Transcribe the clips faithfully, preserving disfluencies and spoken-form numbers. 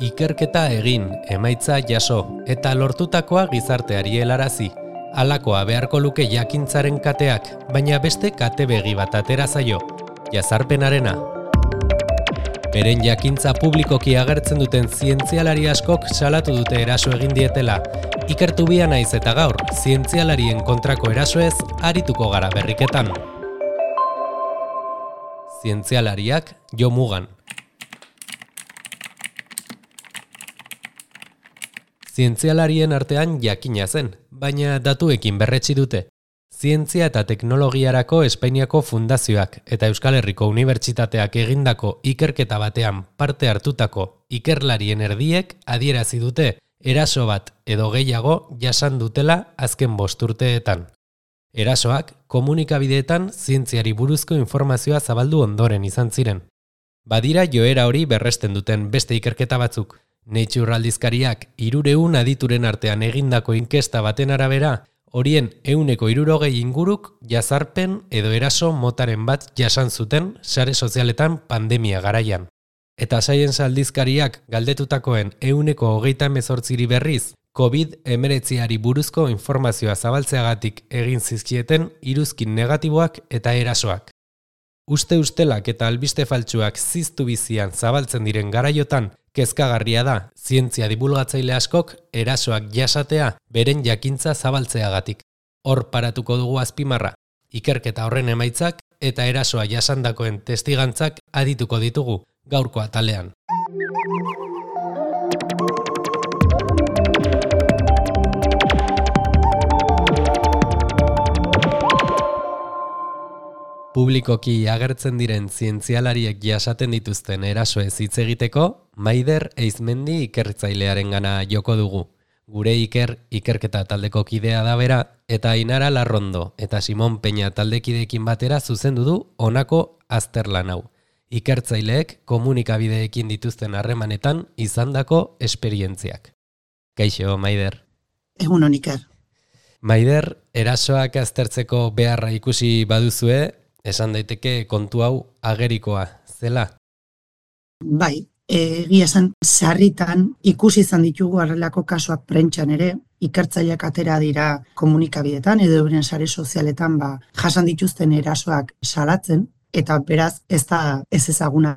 Ikerketa egin, emaitza jaso, eta lortutakoa gizarteari helarazi. Halakoa beharko luke jakintzaren kateak, baina beste kate begi bat atera zaio, jazarpenarena. Beren jakintza publikoki agertzen duten zientzialari askok salatu dute eraso egin dietela. Ikertu bia naiz eta gaur, zientzialarien kontrako erasoez arituko gara berriketan. Zientzialariak Jo Mugan. Zientzialarien artean jakina zen, baina datuekin berretsi dute. Zientzia eta teknologiarako Espainiako fundazioak eta Euskal Herriko Unibertsitateak egindako ikerketa batean parte hartutako ikerlarien erdiek adierazi dute eraso bat edo gehiago jasan dutela azken bost urteetan. Erasoak komunikabideetan zientziari buruzko informazioa zabaldu ondoren izan ziren. Badira joera hori berresten duten beste ikerketa batzuk. Nature aldizkariak hirurehun adituren artean egindako inkesta baten arabera, horien ehuneko hirurogei inguruk jazarpen edo eraso motaren bat jasan zuten sare sozialetan pandemia garaian. Eta Science aldizkariak galdetutakoen ehuneko hogeita hemezortziri berriz, covid hemeretziari buruzko informazioa zabaltzeagatik egin zizkieten iruzkin negatiboak eta erasoak. Uste ustelak eta albiste faltsuak ziztu bizian zabaltzen diren garaiotan, kezkagarria da, zientzia divulgatzaile askok erasoak jasatea beren jakintza zabaltzeagatik. Hor paratuko dugu azpimarra, ikerketa horren emaitzak eta erasoa jasandakoen testigantzak adituko ditugu gaurko atalean. Publikoki agertzen diren zientzialariek jasaten dituzten erasoez hitz egiteko, Maider Eizmendi ikertzailearengana joko dugu. Gure Iker ikerketa taldeko kidea da bera, eta Ainara Larrondo eta Simon Peña taldekideekin batera zuzendu du honako azterlan hau. Ikertzaileek komunikabideekin dituzten harremanetan izandako esperientziak. Kaixo, Maider. Egun on, Iker. Maider, erasoak aztertzeko beharra ikusi baduzue, esan daiteke kontu hau agerikoa, zela? Bai, egia esan sarritan ikusi izan ditugu horrelako kasuak prentsan ere, ikertzaileak atera dira komunikabidetan edo euren sare sozialetan ba, jasan dituzten erasoak salatzen, eta beraz ez da ez ezaguna.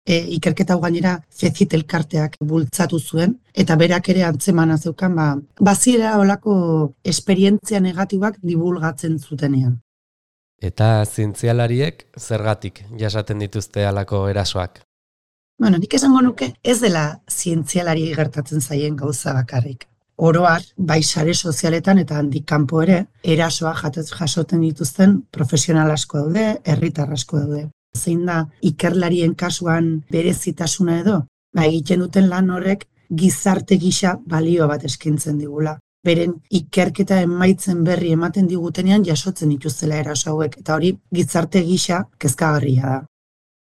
E, ikerketa hau gainera Fecit elkarteak bultzatu zuen, eta berak ere antzemana zeukan, ba, baziera olako esperientzia negatibak divulgatzen zutenean. Eta zientzialariek zergatik jasaten dituzte halako erasoak? Bueno, nik esango nuke ez dela zientzialari gertatzen zaien gauza bakarrik. Oroar, bai sare sozialetan eta handik kanpo ere, erasoa jasoten dituzten profesional asko daude, herritar asko daude. Zein da ikerlarien kasuan berezitasuna edo, ba egiten duten lan horrek gizarte gisa balio bat eskaintzen digula. Beren ikerketa emaitzen berri ematen digutenean jasotzen dituztela eraso hauek, eta hori gizarte gisa kezkagarria da.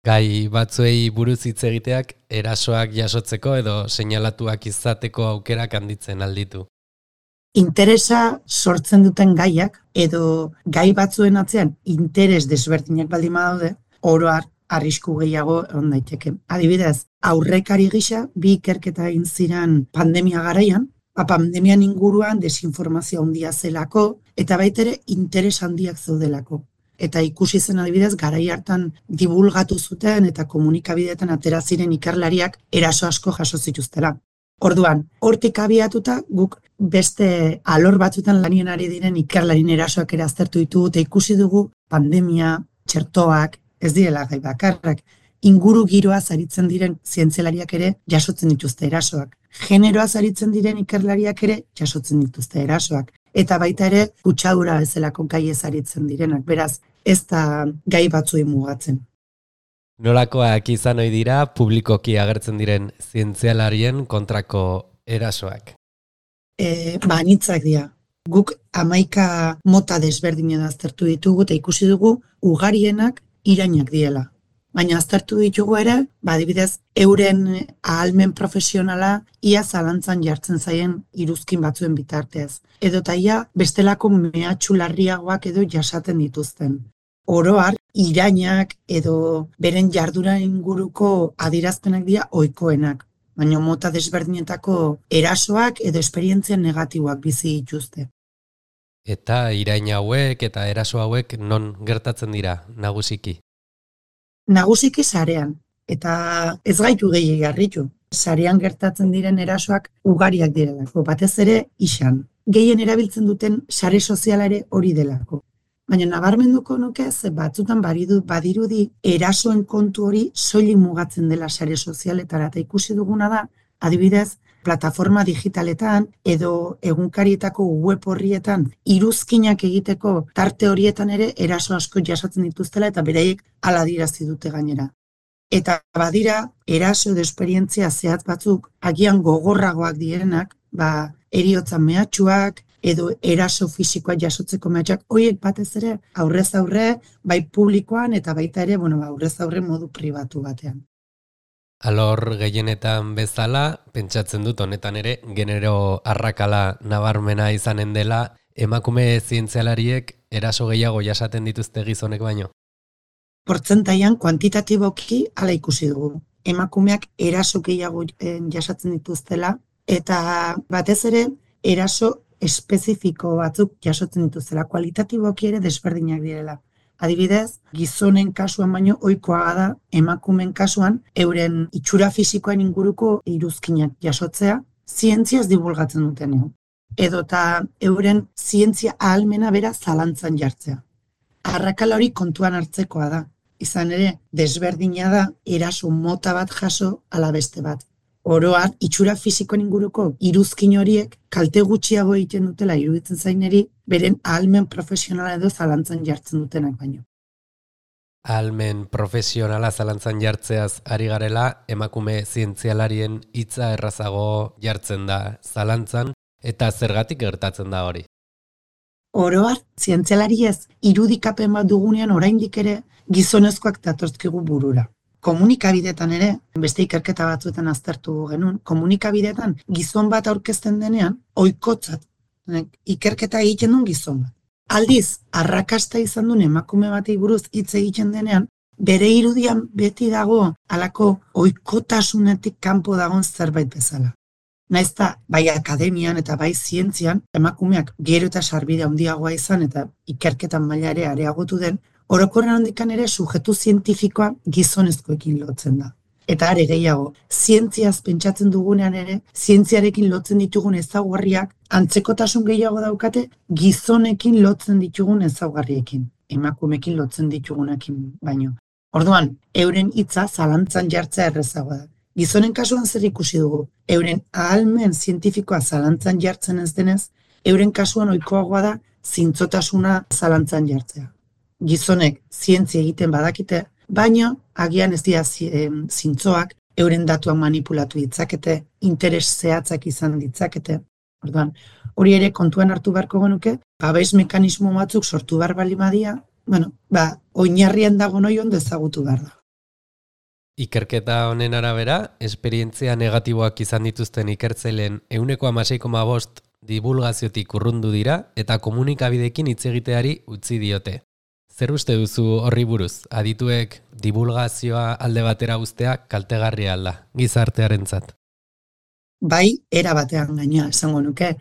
Gai batzuei buruz hitz egiteak erasoak jasotzeko edo seinalatuak izateko aukerak handitzen alditu. Interesa sortzen duten gaiak edo gai batzuen atzean interes desberdinak baldin badaude, oro har arrisku gehiago egon daiteke. Adibidez, aurrekari gisa bi ikerketa egin ziren pandemia garaian, pandemian inguruan desinformazio handia zelako, eta baitere interes handiak zeudelako. Eta ikusi zen adibidez, garai hartan divulgatu zuten eta komunikabideetan atera ziren ikerlariak eraso asko jaso zituztela. Orduan, hortik abiatuta guk beste alor batzuetan lanien ari diren ikerlarien erasoak ere aztertu ditugu, eta ikusi dugu pandemia, txertoak, ez direla gai bakarrak, inguru giroaz aritzen diren zientzialariak ere jasotzen dituzte erasoak. Generoaz aritzen diren ikerlariak ere jasotzen dituzte erasoak. Eta baita ere, kutsadura bezalako gaiez aritzen direnak. Beraz, ez da gai batzuei mugatzen. Nolakoak izan ohi dira publikoki agertzen diren zientzialarien kontrako erasoak? E, ba, anitzak dira. Guk hamaika mota desberdinen aztertu ditugu eta ikusi dugu ugarienak irainak diela. Baina aztertu ditugu ere, badibidez, euren ahalmen profesionala ia zalantzan jartzen zaien iruzkin batzuen bitartez. Edo taia bestelako mehatxu larriagoak edo jasaten dituzten. Oro har, irainak edo beren jardura inguruko adierazpenak dira ohikoenak. baina mota desberdinetako erasoak edo esperientzia negatiboak bizi dituzte. Eta irain hauek eta eraso hauek non gertatzen dira nagusiki? Nagusiki sarean, eta ez gaitu gehiegi harritu. Sarean gertatzen diren erasoak ugariak direlako, batez ere isan. Gehien erabiltzen duten sare soziala ere hori delako. Baina nabarmenduko nuke ze batzutan baridu badirudi erasoen kontu hori soilik mugatzen dela sare sozialetara, eta ikusi duguna da, adibidez, plataforma digitaletan edo egunkarietako web horrietan iruzkinak egiteko tarte horietan ere eraso asko jasatzen dituztela eta beraiek hala adierazi dute gainera. Eta badira eraso edo esperientzia zehatz batzuk agian gogorragoak direnak, ba heriotza mehatxuak edo eraso fisikoa jasotzeko mehatxuak, horiek batez ere aurrez aurre, bai publikoan eta baita ere, bueno, aurrez aurre modu pribatu batean. Alor gehienetan bezala, pentsatzen dut honetan ere, genero arrakala nabarmena izanen dela, emakume zientzialariek eraso gehiago jasaten dituzte gizonek baino. Portzentaian kuantitatiboki hala ikusi dugu. Emakumeak eraso gehiago jasatzen dituztela, eta batez ere eraso espezifiko batzuk jasotzen dituztela, kualitatiboki ere desberdinak direla. Adibidez, gizonen kasuan baino ohikoa da emakumeen kasuan euren itxura fisikoen inguruko iruzkinak jasotzea zientziaz divulgatzen dutenean. Edota euren zientzia ahalmena bera zalantzan jartzea. Arrakala hori kontuan hartzekoa da. Izan ere, desberdina da eraso mota bat jaso ala beste bat. Oro har, itxura fisikoen inguruko iruzkin horiek kalte gutxiago egiten dutela iruditzen zaineri, beren ahalmen profesionala edo zalantzan jartzen dutenak baino. Ahalmen profesionala zalantzan jartzeaz ari garela, emakume zientzialarien hitza errazago jartzen da zalantzan, eta zergatik gertatzen da hori? Oro har, zientzialariez irudikapen bat dugunean oraindik ere gizonezkoak datozkigu burura. Komunikabidetan ere, beste ikerketa batzuetan aztertu genuen, komunikabidetan gizon bat aurkezten denean, ohikotzat, ikerketa egiten duen gizon bat. Aldiz, arrakasta izan duen emakume batei buruz hitz egiten denean, bere irudian beti dago halako ohikotasunetik kanpo dagoen zerbait bezala. Naizta, bai akademian eta bai zientzian, emakumeak gero eta sarbide handiagoa izan eta ikerketan maila ere areagotu den, orokorren handikan ere sujetu zientifikoa gizonezkoekin lotzen da. Eta are gehiago, zientziaz pentsatzen dugunean ere, zientziarekin lotzen ditugun ezaugarriak, antzekotasun gehiago daukate gizonekin lotzen ditugun ezaugarriekin, emakumekin lotzen ditugunekin baino. Orduan, euren hitza zalantzan jartzea errezagoa da. Gizonen kasuan zer ikusi dugu, euren ahalmen zientifikoa zalantzan jartzen ez denez, euren kasuan ohikoagoa da zintzotasuna zalantzan jartzea. Gizonek zientzia egiten badakite, baina agian ez dira zintzoak, euren datuak manipulatu ditzakete, interes zehatzak izan ditzakete. Orduan, hori ere kontuan hartu beharko genuke, babes mekanismo batzuk sortu behar bali badia, bueno, ba, oinarrian dago noi ondo ezagutu behar da. Ikerketa honen arabera, esperientzia negatiboak izan dituzten ikertzaileen ehuneko hamasei koma bost divulgaziotik urrundu dira eta komunikabideekin hitz egiteari utzi diote. Zer uste duzu horri buruz? Adituek divulgazioa alde batera uztea kaltegarria alda, gizartearentzat. Bai, era batean gaina esango nuke.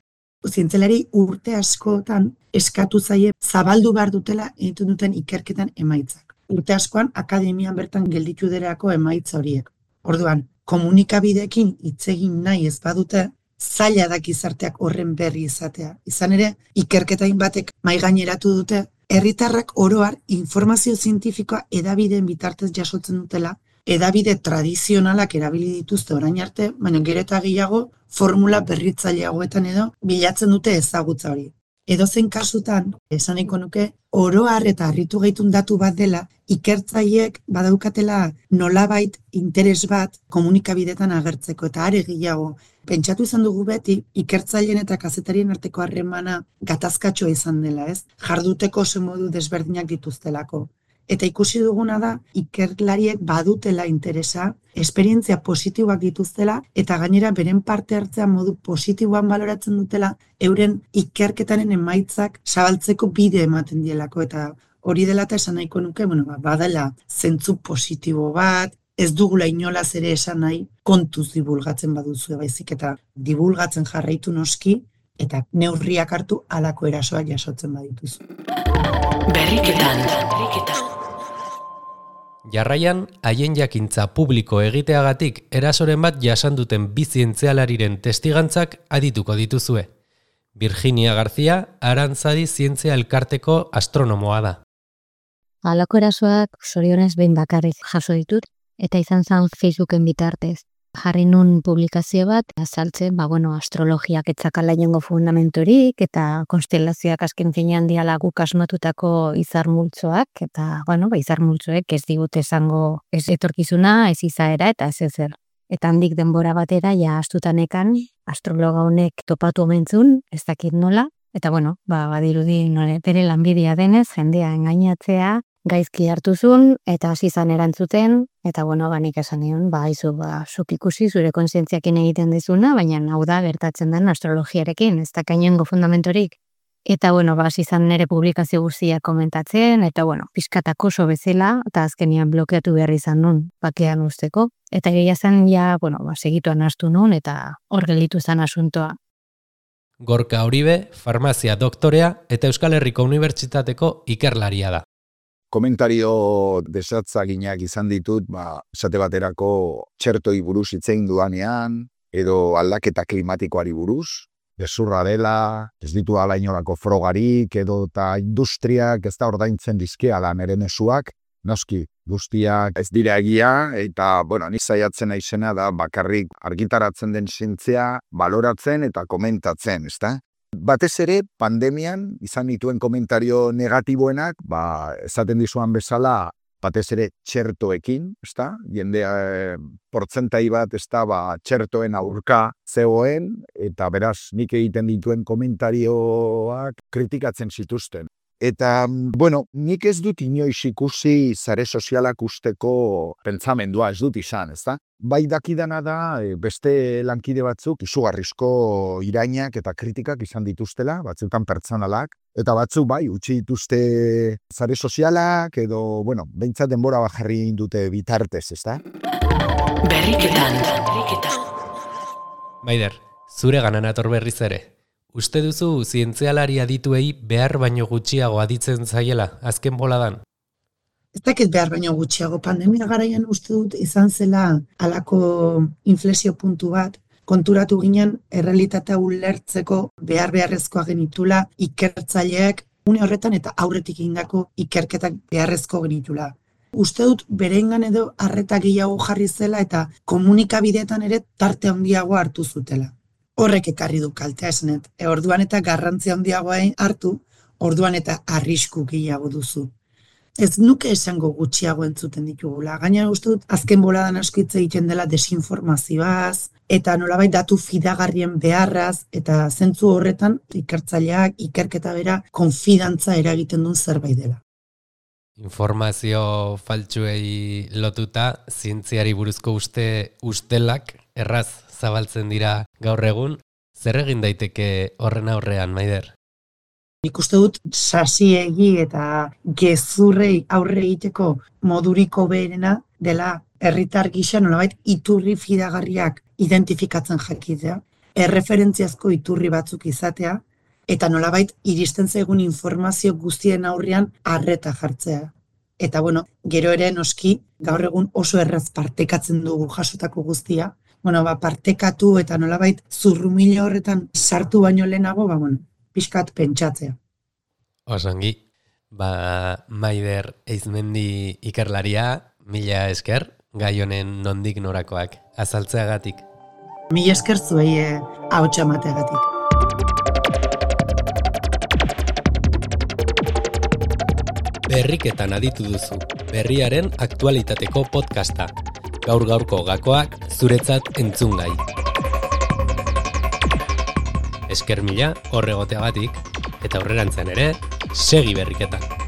Zientzialari urte askotan eskatu zaie zabaldu behar dutela egiten duten ikerketan emaitzak. Urte askoan akademian bertan gelditu derako emaitza horiek. Orduan, komunikabideekin hitz egin nahi ez badute, zaila da gizarteak horren berri izatea. Izan ere, ikerketain batek mai gaineratu dute, herritarrak oro har informazio zientifikoa hedabideen bitartez jasotzen dutela, hedabide tradizionalak erabili dituzte orain arte, baina gero eta gehiago formula berritzaileagoetan edo bilatzen dute ezagutza hori. Edozein kasutan, esan nahiko nuke, oro har eta harritu gaitun datu bat dela, ikertzaileek badaukatela nolabait interes bat komunikabidetan agertzeko eta are gehiago. Pentsatu izan dugu beti, ikertzaileen eta kazetarien arteko harremana gatazkatxoa izan dela, ez? Jarduteko oso modu desberdinak dituztelako. Eta ikusi duguna da, ikerlariek badutela interesa, esperientzia positiboak dituztela, eta gainera beren parte hartzea modu positiboan baloratzen dutela, euren ikerketaren emaitzak zabaltzeko bide ematen dielako, eta hori dela eta esan nahiko nuke, bueno, badela zentzu positibo bat, ez dugula inolaz ere esan nahi kontuz divulgatzen baduzu, baizik eta divulgatzen jarraitu noski, eta neurriak hartu halako erasoak jasotzen badituzu. Berriketan, berriketan. Jarraian, haien jakintza publiko egiteagatik erasoren bat jasan duten bi zientzialariren testigantzak adituko dituzue. Virginia García, Arantzadi Zientzia Elkarteko astronomoa da. Halako erasoak zorionez behin bakarrik jaso ditut, eta izan zen Facebooken bitartez. Jarri nun publikazio bat, azaltzen, ba, bueno, astrologiak etzakala inongo fundamentorik, eta konstelazioak azken finean diala guk asmatutako izar multzoak, eta, bueno, ba, izar multzoek ez digute esango ez etorkizuna, ez izaera, eta ez ezer. Eta handik denbora batera, ja astutanekan, astrologa honek topatu omentzun, ez dakit nola, eta, bueno, ba, badirudi nore, bere lanbidea denez, jendea engainatzea, gaizki hartuzun, eta hasi zan erantzuten, eta bueno, banik esan nion, ba, izu, ba, zuk ikusi zure kontzientziakin egiten dezuna, baina hau da gertatzen den astrologiarekin, ez da kainongo fundamentorik. Eta bueno, ba, hasi zan nire publikazio guztiak komentatzen, eta bueno, pizkatako oso bezala, eta azkenian blokeatu behar izan nun, bakean usteko. Eta gehiago zen, ja, bueno, ba, segituan hastu nun, eta hor gelditu zen asuntoa. Gorka Uribe, farmazia doktorea, eta Euskal Herriko Unibertsitateko ikerlaria da. Komentario desatzaginak izan ditut, ba, esate baterako txertoi buruz hitzein duanean, edo aldaketa klimatikoari buruz, gezurra dela, ez ditu ala inolako frogarik, edo eta industriak ez da ordaintzen dizkeala nere mezuak, noski, guztiak ez dira egia, eta, bueno, ni saiatzen naizena da bakarrik argitaratzen den zientzia baloratzen eta komentatzen, ezta? Batez ere, pandemian izan dituen komentario negatiboenak, ba, esaten dizuan bezala, batez ere txertoekin, ezta? Jendea e, portzentai bat, ezta, ba, txertoen aurka zegoen, eta beraz, nik egiten dituen komentarioak kritikatzen zituzten. Eta, bueno, nik ez dut inoiz ikusi sare sozialak usteko pentsamendua ez dut izan, ezta? Bai dakidana da, beste lankide batzuk izugarrizko irainak eta kritikak izan dituztela, batzutan pertsonalak, eta batzuk bai, utzi dituzte sare sozialak, edo, bueno, behintzat denbora bajarri dute bitartez, ezta? Berriketan, berriketan. Maider, zure ganan ator berriz ere. Uste duzu zientzialari adituei behar baino gutxiago aditzen zaiela azken boladan? Ez dakit behar baino gutxiago, pandemia garaian uste dut izan zela halako inflexio puntu bat, konturatu ginen errealitatea ulertzeko behar beharrezkoa genitula ikertzaileak une horretan eta aurretik egindako ikerketak beharrezko genitula. Uste dut bereingan edo arreta gehiago jarri zela eta komunikabideetan ere tarte handiago hartu zutela. Horrek ekarri du kaltea esnet. E, orduan eta garrantzia handiagoa hartu, orduan eta arrisku gehiago duzu. Ez nuke esango gutxiago entzuten ditugula. Gainera uste dut azken boladan asko hitz egiten dela desinformazioaz, eta nolabait datu fidagarrien beharraz, eta zentzu horretan ikertzaileak, ikerketa bera, konfidantza eragiten duen zerbait dela. Informazio faltsuei lotuta, zientziari buruzko uste ustelak erraz zabaltzen dira gaur egun. Zer egin daiteke horren aurrean, Maider? Nik uste dut sasiegi eta gezurrei aurre egiteko moduriko beherena dela herritar gisa nolabait iturri fidagarriak identifikatzen jakitea, erreferentziazko iturri batzuk izatea, eta nolabait iristen zaigun informazio guztien aurrean arreta jartzea. Eta bueno, gero ere noski gaur egun oso erraz partekatzen dugu jasotako guztia. Bueno, ba, partekatu eta nolabait zurrumilo horretan sartu baino lehenago, ba, bueno, pixkat pentsatzea. Osongi, ba, Maider Eizmendi ikerlaria, mila esker, gai honen nondik norakoak azaltzeagatik. Mila esker zuei eh, ahotsa emateagatik. Berriketan aditu duzu, berriaren aktualitateko podcasta. Gaur gaurko gakoak zuretzat entzungai. Esker mila horregoteagatik, eta aurrerantzean ere, segi berriketan.